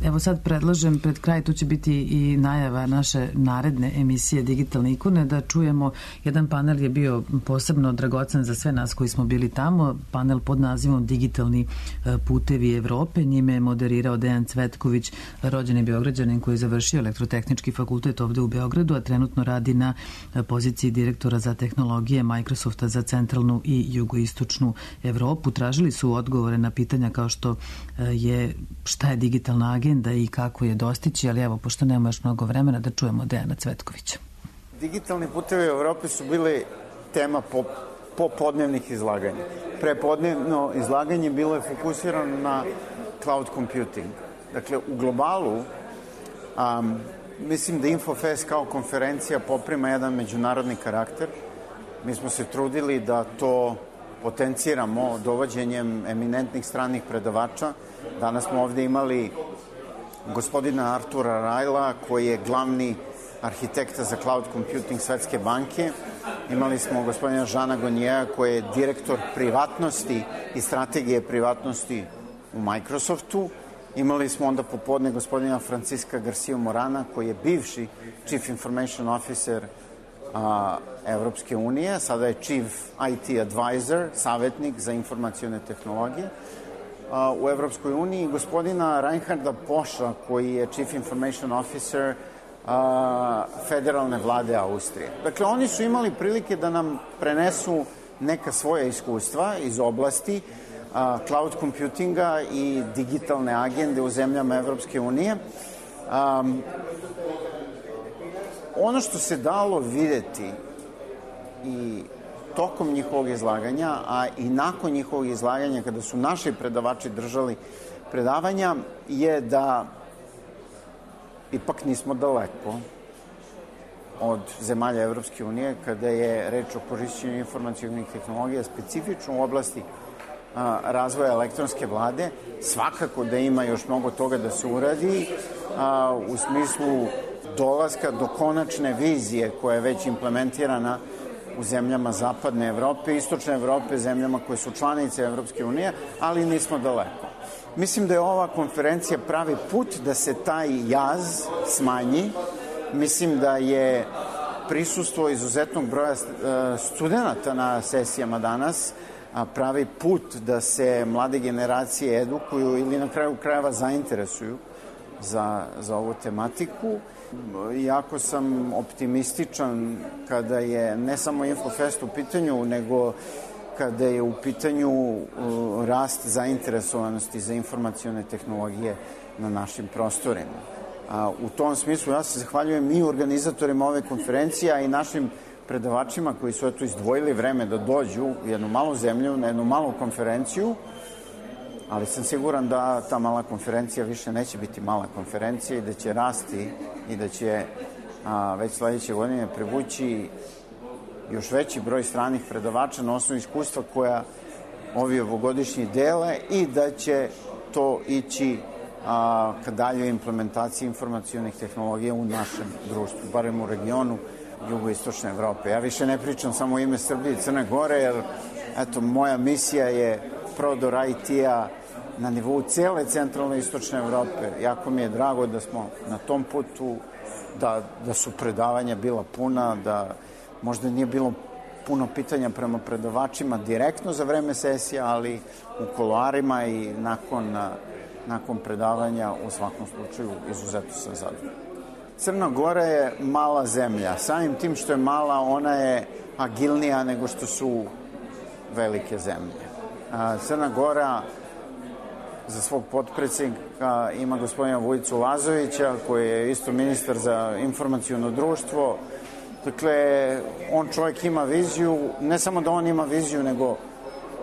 Evo sad predlažem, pred kraj tu će biti i najava naše naredne emisije Digitalne ikone, da čujemo, jedan panel je bio posebno dragocen za sve nas koji smo bili tamo, panel pod nazivom Digitalni putevi Evrope, njime je moderirao Dejan Cvetković, rođeni Beograđanin koji je završio Elektrotehnički fakultet ovde u Beogradu, a trenutno radi na poziciji direktora za tehnologije Microsofta za centralnu i jugoistočnu Evropu. Tražili su odgovore na pitanja kao što je šta je digitalna agenda i kako je dostići, ali evo, pošto nema još mnogo vremena, da čujemo Dejana Cvetkovića. Digitalni putevi u Evropi su bili tema popodnevnih izlaganja. Prepodnevno izlaganje bilo je fokusirano na cloud computing. Dakle, u globalu mislim da Infofest kao konferencija poprima jedan međunarodni karakter. Mi smo se trudili da to potenciramo dovođenjem eminentnih stranih predavača. Danas smo ovde imali gospodina Artura Rajla, koji je glavni arhitekta za cloud computing Svetske banke. Imali smo gospodina Žana Gonjeja, koji je direktor privatnosti i strategije privatnosti u Microsoftu. Imali smo onda popodne gospodina Franciska Garcia Morana, koji je bivši Chief Information Officer Evropske unije, sada je Chief IT Advisor, savjetnik za informacione tehnologije u Evropskoj uniji, gospodina Reinharda Poša, koji je Chief Information Officer federalne vlade Austrije. Dakle, oni su imali prilike da nam prenesu neka svoja iskustva iz oblasti cloud computinga i digitalne agende u zemljama Evropske unije. Ono što se dalo videti i tokom njihovog izlaganja, a i nakon njihovog izlaganja, kada su naši predavači držali predavanja, je da ipak nismo daleko od zemalja Evropske unije kada je reč o korišćenju informacionih tehnologija, specifično u oblasti razvoja elektronske vlade. Svakako da ima još mnogo toga da se uradi u smislu dolaska do konačne vizije koja je već implementirana u zemljama zapadne Evrope, istočne Evrope, zemljama koje su članice Evropske unije, ali nismo daleko. Mislim da je ova konferencija pravi put da se taj jaz smanji. Mislim da je prisustvo izuzetnog broja studenta na sesijama danas pravi put da se mlade generacije edukuju ili na kraju krajeva zainteresuju za ovu tematiku. Jako sam optimističan kada je ne samo Infofest u pitanju, nego kada je u pitanju rast zainteresovanosti za informacione tehnologije na našim prostorima. U tom smislu ja se zahvaljujem i organizatorima ove konferencije, a i našim predavačima koji su eto izdvojili vreme da dođu u jednu malu zemlju, na jednu malu konferenciju, ali sam siguran da ta mala konferencija više neće biti mala konferencija i da će rasti i da će već sledeće godine privući još veći broj stranih predavača na osnovu iskustva koja ovi ovogodišnji dele i da će to ići ka daljoj implementaciji informacionih tehnologija u našem društvu, barem u regionu jugoistočne Evrope. Ja više ne pričam samo o ime Srbije i Crne Gore, jer eto, moja misija je prodor IT-a na nivou cele centralne istočne Evrope. Jako mi je drago da smo na tom putu, da su predavanja bila puna, da možda nije bilo puno pitanja prema predavačima direktno za vreme sesija, ali u kuloarima i nakon predavanja u svakom slučaju izuzetno sam zadovoljan. Crna Gora je mala zemlja. Samim tim što je mala, ona je agilnija nego što su velike zemlje. Crna Gora za svog potpredsjednika ima gospodina Vujicu Lazovića, koji je isto ministar za informaciono društvo. Dakle, on čovjek ima viziju, ne samo da on ima viziju, nego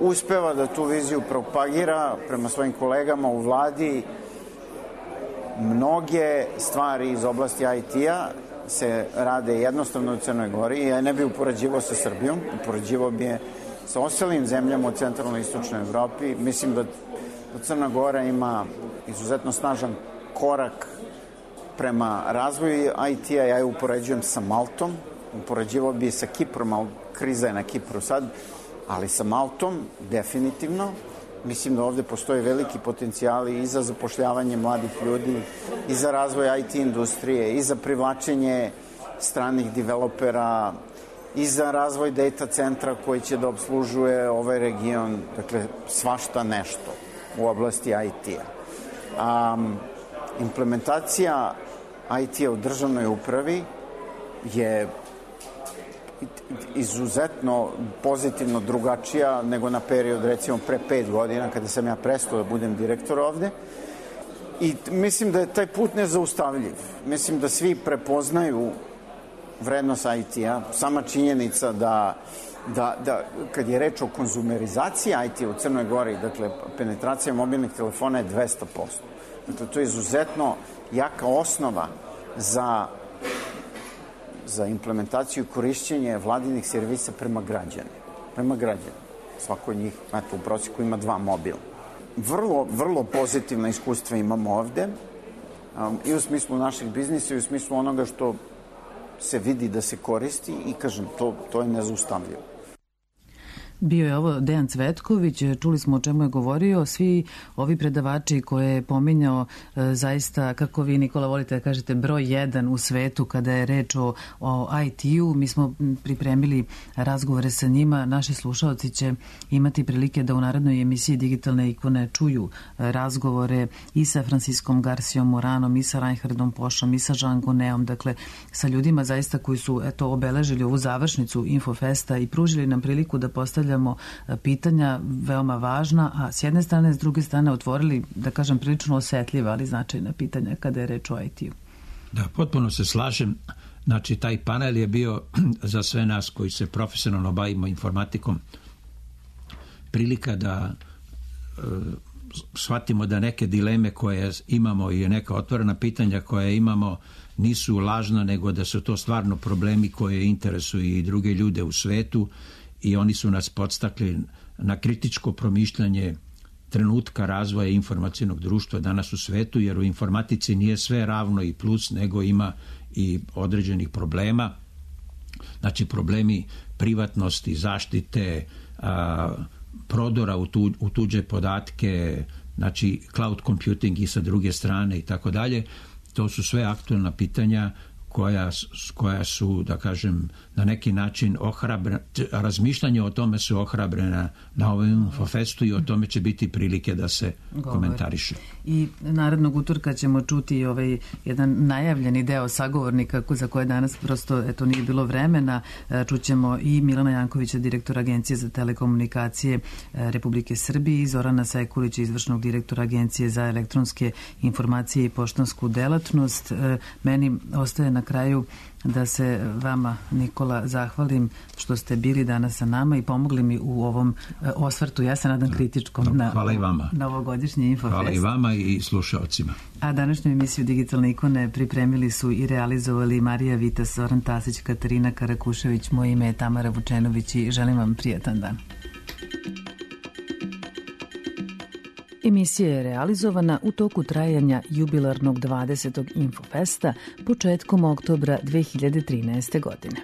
uspeva da tu viziju propagira prema svojim kolegama u vladi mnoge stvari iz oblasti IT-a se rade jednostavno u Crnoj Gori. Ja ne bih upoređivao sa Srbijom, upoređivao bi je sa ostalim zemljama u centralnoj i istočnoj Evropi. Mislim da Crna Gora ima izuzetno snažan korak prema razvoju IT-a. Ja je upoređujem sa Maltom, upoređivao bi sa Kiprom, ali kriza je na Kipru sad, ali sa Maltom definitivno. Mislim da ovde postoje veliki potencijali i za zapošljavanje mladih ljudi, i za razvoj IT industrije, i za privlačenje stranih developera, i za razvoj data centra koji će da obslužuje ovaj region, dakle svašta nešto u oblasti IT-a. Implementacija IT-a u državnoj upravi je izuzetno pozitivno drugačija nego na period recimo pre 5 godina kada sam ja prestao da budem direktor ovde. I mislim da je taj put nezaustavljiv. Mislim da svi prepoznaju vrednost IT-a. Sama činjenica da kad je reč o konzumerizaciji IT-a u Crnoj Gori, dakle penetracija mobilnih telefona je 200%. Dakle, to je izuzetno jaka osnova za implementaciju i korišćenje vladinih servisa prema građanima. Svako od njih, u prosjeku ima 2 mobila. Vrlo pozitivna iskustva imamo ovde, i u smislu našeg biznisa i u smislu onoga što se vidi da se koristi i kažem, to je nezaustavljivo. Bio je ovo Dejan Cvetković, čuli smo o čemu je govorio, svi ovi predavači koje je pominjao, zaista, kako vi, Nikola, volite da kažete, broj 1 u svetu kada je reč o IT-u. Mi smo pripremili razgovore sa njima, naši slušalci će imati prilike da u narednoj emisiji Digitalne ikone čuju razgovore i sa Franciskom Garcijom Moranom, i sa Reinhardom Pošom, i sa Jean Goneom, dakle sa ljudima zaista koji su obeležili ovu završnicu Infofesta i pružili nam priliku da postavljamo pitanja veoma važna, a s jedne strane, s druge strane otvorili, da kažem, prilično osetljiva, ali značajna pitanja kada je reč o IT-u. Da, potpuno se slažem. Znači, taj panel je bio za sve nas koji se profesionalno bavimo informatikom prilika da shvatimo da neke dileme koje imamo i neka otvorena pitanja koje imamo nisu lažna, nego da su to stvarno problemi koje interesuju i druge ljude u svetu, i oni su nas podstakli na kritičko promišljanje trenutka razvoja informacijnog društva danas u svetu, jer u informatici nije sve ravno i plus, nego ima i određenih problema. Znači, problemi privatnosti, zaštite, prodora u tuđe podatke, znači cloud computing i sa druge strane i tako dalje. To su sve aktualna pitanja koja su, da kažem, na neki način razmišljanje o tome su ohrabrena na ovom Infofestu i o tome će biti prilike da se komentariše. I narednog utorka ćemo čuti jedan najavljeni deo sagovornika za koje danas prosto nije bilo vremena. Čućemo i Milana Jankovića, direktora Agencije za telekomunikacije Republike Srbije, i Zorana Sekulića, izvršnog direktora Agencije za elektronske informacije i poštansku delatnost. Meni ostaje na kraju da se vama, Nikola, zahvalim što ste bili danas sa nama i pomogli mi u ovom osvrtu, ja se nadam kritičkom, na ovogodišnji Infofest. Hvala i vama i slušalcima. A današnju emisiju Digitalne ikone pripremili su i realizovali Marija Vitas, Zoran Tasić, Katarina Karakušević, moje ime je Tamara Vučenović i želim vam prijatan dan. Emisija je realizovana u toku trajanja jubilarnog 20. Infofesta početkom oktobra 2013. godine.